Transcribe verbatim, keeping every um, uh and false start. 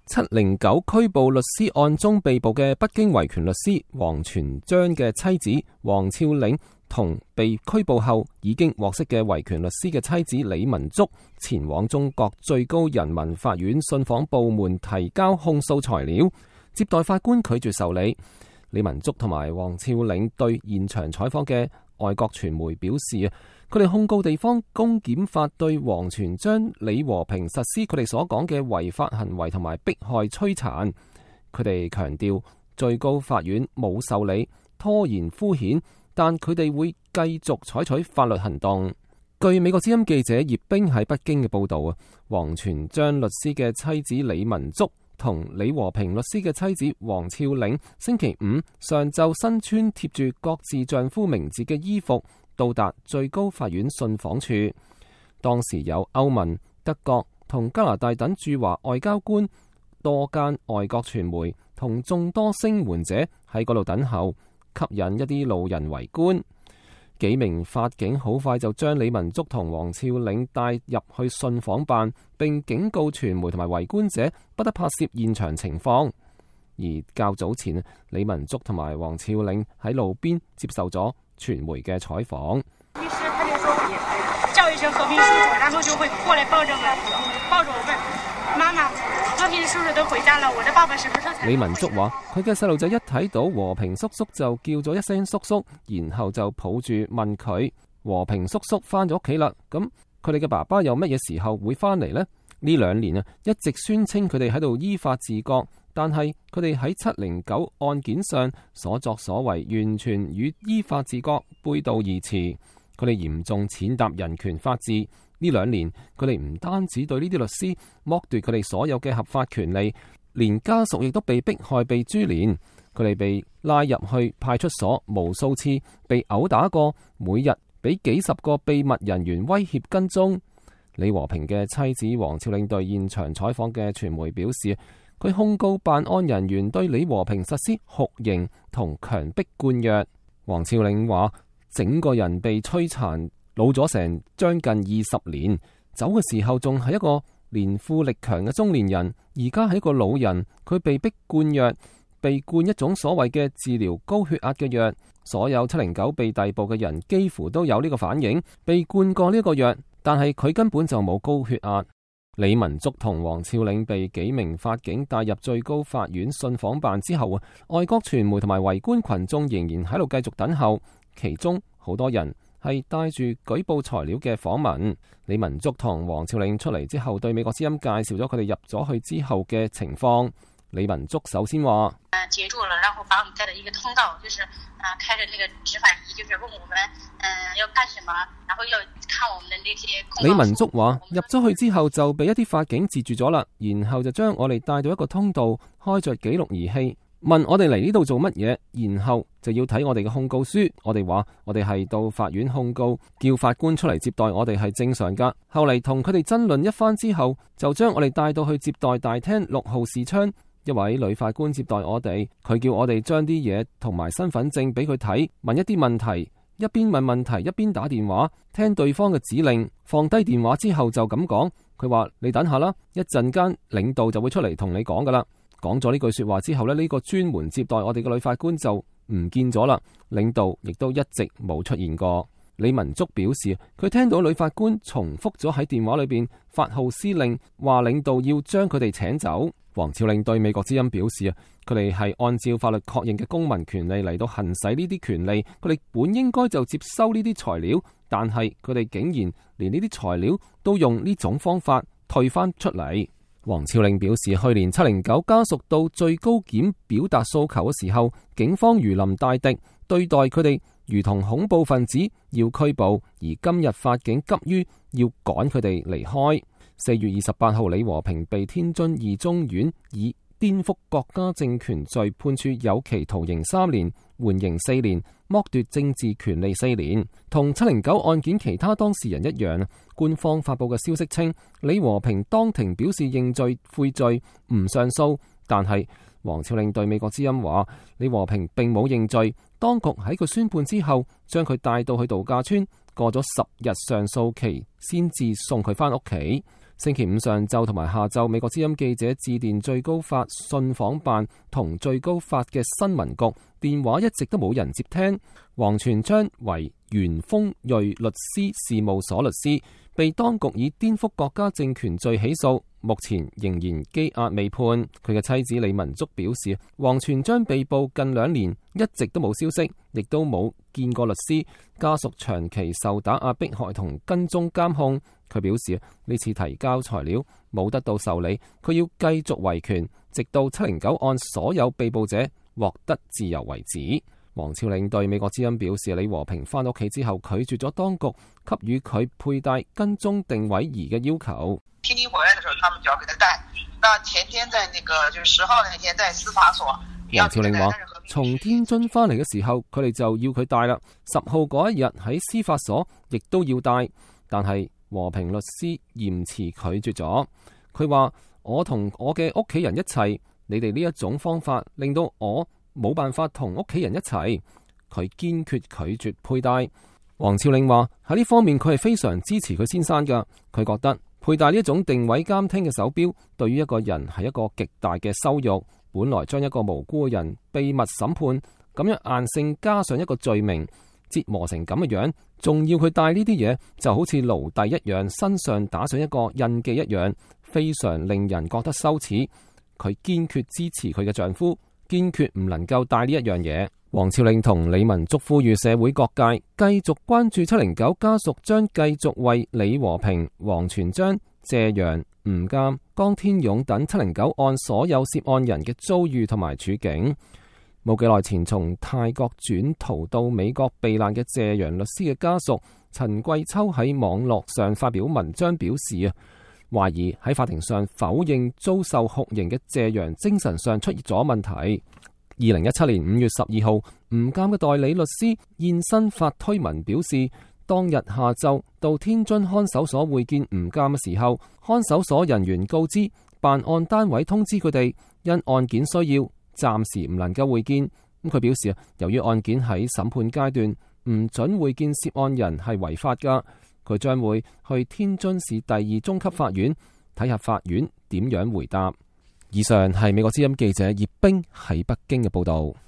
七零九拘捕律師案中被捕嘅北京維權律師王全璋嘅妻子王峭嶺同被拘捕後已經獲釋嘅維權律師嘅妻子李文足前往中國最高人民法院信訪部門提交控訴材料，接待法官拒絕受理。李文足同埋王峭嶺對現場採訪嘅外國傳媒表示啊，佢哋控告地方公檢法對王全璋、李和平實施佢哋所講嘅違法行為同埋迫害摧殘。佢哋強調最高法院冇受理，拖延敷衍，但佢哋會繼續採取法律行動。據美國之音記者葉冰喺北京嘅報道啊，王全璋律師嘅妻子李文足同李和平律師嘅妻子王峭嶺星期五上晝身穿貼住各自丈夫名字嘅衣服到達最高法院信訪處。當時有歐盟、德國同加拿大等駐華外交官、多間外國傳媒同眾多聲援者喺嗰度等候，吸引一啲路人圍觀。幾名法警好快就將李文足同王峭嶺帶入去信訪辦，並警告傳媒同埋圍觀者不得拍攝現場情況。而較早前，李文足同埋王峭嶺喺路邊接受咗傳媒嘅採訪。律師他就說叫一聲和平叔叔，然後就會過來抱着我，抱着我問媽媽，和平叔叔都回家了，我的爸爸什麼時候才？李文足話：佢嘅細路仔一睇到和平叔叔就叫咗一聲叔叔，然後就抱住問佢：和平叔叔翻咗屋企啦，咁佢哋嘅爸爸有乜嘢時候會翻嚟呢？呢兩年啊，一直宣稱佢哋喺度依法治國，但係佢哋喺七零九案件上所作所為完全與依法治國背道而馳。佢哋嚴重踐踏人權法治。呢兩年佢哋唔單止對呢啲律師剝奪佢哋所有嘅合法權利，連家屬亦都被迫害、被株連。佢哋被拉入去派出所無數次，被毆打過，每日俾幾十個秘密人員威脅跟蹤。李和平嘅妻子王峭嶺對現場採訪嘅傳媒表示，佢控告辦案人員對李和平實施酷刑同強迫灌藥。王峭嶺話：整個人被摧殘，老咗成將近二十年，走嘅時候仲係一個年富力強嘅中年人，而家係一個老人。佢被逼灌藥，被灌一種所謂嘅治療高血壓嘅藥。所有七零九被逮捕嘅人幾乎都有呢個反應，被灌過呢個藥，但係佢根本就冇高血壓。李文足同王峭嶺被幾名法警帶入最高法院信訪辦之後啊，外國傳媒同埋圍觀群眾仍然喺度繼續等候，其中好多人係帶住舉報材料嘅訪問。李文足同王峭嶺出嚟之後，對美國之音介紹咗佢哋入咗去之後嘅情況。李文足首先話：誒，截住了，然後把我們帶到一個通道，就是啊，開着那個執法儀，就是問我們誒要幹什麼，然後要看我們的那些控告書。李文足話：入咗去之後就被一啲法警截住咗啦，然後就將我哋帶到一個通道，開着記錄儀器，問我哋嚟呢度做乜嘢，然後就要睇我哋嘅控告書。我哋話我哋係到法院控告，叫法官出嚟接待我哋係正常噶。後嚟同佢哋爭論一番之後，就將我哋帶到去接待大廳六號視窗。一位女法官接待我哋，佢叫我哋將啲嘢同埋身份證俾佢睇，問一啲問題，一邊問問題一邊打電話，聽對方嘅指令。放低電話之後就咁講，佢話你等下啦，一陣間領導就會出嚟同你講噶啦。講咗呢句說話之後呢，呢個專門接待我哋嘅女法官就唔見咗啦，領導亦都一直冇出現過。李文足表示，佢聽到女法官重複咗喺電話裏邊發號施令，話領導要將佢哋請走。王峭嶺對美國之音表示啊，佢哋係按照法律確認嘅公民權利嚟到行使呢啲權利，佢哋本應該就接收呢啲材料，但係佢哋竟然連呢啲材料都用呢種方法退翻出嚟。王峭嶺表示，去年七零九家屬到最高檢表達訴求嘅時候，警方如臨大敵，對待佢哋如同恐怖分子，要拘捕，而今日法警急於要趕佢哋離開。四月二十八號，李和平被天津二中院以顛覆國家政權罪判處有期徒刑三年，緩刑四年，剝奪政治權利四年。同七零九案件其他當事人一樣，官方發佈嘅消息稱，李和平當庭表示認罪悔罪，唔上訴。但係王峭嶺對美國之音話，李和平並冇認罪，當局喺佢宣判之後，將佢帶到去度假村，過咗十日上訴期，先至送佢翻屋企。星期五上晝同埋下晝，美國之音記者致電最高法信訪辦同最高法嘅新聞局，電話一直都冇人接聽。王全璋為元豐瑞律師事務所律師，被當局以顛覆國家政權罪起訴，目前仍然羈押未判。佢嘅妻子李文竹表示，王全璋被捕近兩年，一直都冇消息，亦都冇見過律師，家屬長期受打壓迫害同跟蹤監控。佢表示呢次提交材料冇得到受理，佢要繼續維權，直到七零九案所有被捕者獲得自由為止。王峭嶺對美國之音表示，李和平返屋企之後拒絕咗當局給予佢佩戴跟蹤定位儀嘅要求。天津回來的時候，他們就要給他戴。那前天在那個就是十號那天在司法所，王峭嶺話，從天津返嚟嘅時候，佢哋就要佢戴啦。十號嗰一日喺司法所亦都要戴，但係和平律師嚴詞拒絕咗。佢話，我同我嘅屋企人一齊，你哋呢一種方法令到我冇辦法同屋企人一齊。佢堅決拒絕佩戴。王峭嶺話，喺呢方面佢係非常支持佢先生噶。佢覺得佩戴呢一種定位監聽嘅手錶對於一個人係一個極大嘅羞辱。本來將一個無辜嘅人秘密審判，咁樣硬性加上一個罪名，折磨成咁嘅樣，仲要佢戴呢啲嘢，就好似奴隸一樣，身上打上一個印記一樣，非常令人覺得羞恥。佢堅決支持佢嘅丈夫，堅決唔能夠戴呢一樣嘢。王峭嶺同李文竹呼籲社會各界繼續關注七零九家屬，將繼續為李和平、王全璋、謝陽、吳鑑、江天勇等七零九案所有涉案人嘅遭遇同埋處境。冇幾耐前從泰國轉逃到美國避難嘅謝陽律師嘅家屬陳桂秋喺網絡上發表文章表示啊，懷疑喺法庭上否認遭受酷刑嘅謝陽精神上出現咗問題。二零一七年五月十二號，吳鑑嘅代理律師現身發推文表示，當日下晝到天津看守所會見吳鑑嘅時候，看守所人員告知辦案單位通知佢哋，因案件需要，暫時唔能夠會見。咁佢表示啊，由於案件喺審判階段，唔准會見涉案人係違法噶。佢將會去天津市第二中級法院睇下法院點樣回答。以上係美國之音記者葉冰喺北京嘅報道。